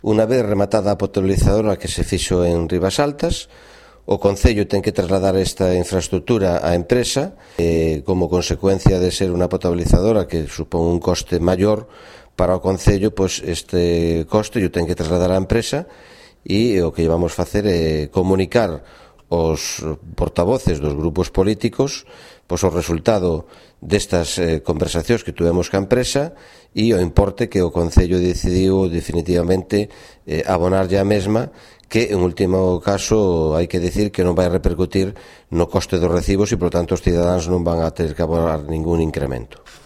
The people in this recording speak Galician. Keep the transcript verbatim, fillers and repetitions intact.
Unha vez rematada a potabilizadora que se fixo en Ribasaltas, o Concello ten que trasladar esta infraestructura á empresa e, como consecuencia de ser unha potabilizadora que supón un coste maior para o Concello, pois este coste o ten que trasladar á empresa e o que vamos facer é comunicar os portavoces dos grupos políticos pois o resultado destas eh, conversacións que tuvemos ca empresa e o importe que o Concello decidiu definitivamente eh, abonarlle a mesma, que en último caso hai que decir que non vai repercutir no coste dos recibos e, por tanto, os cidadáns non van a ter que abonar ningún incremento.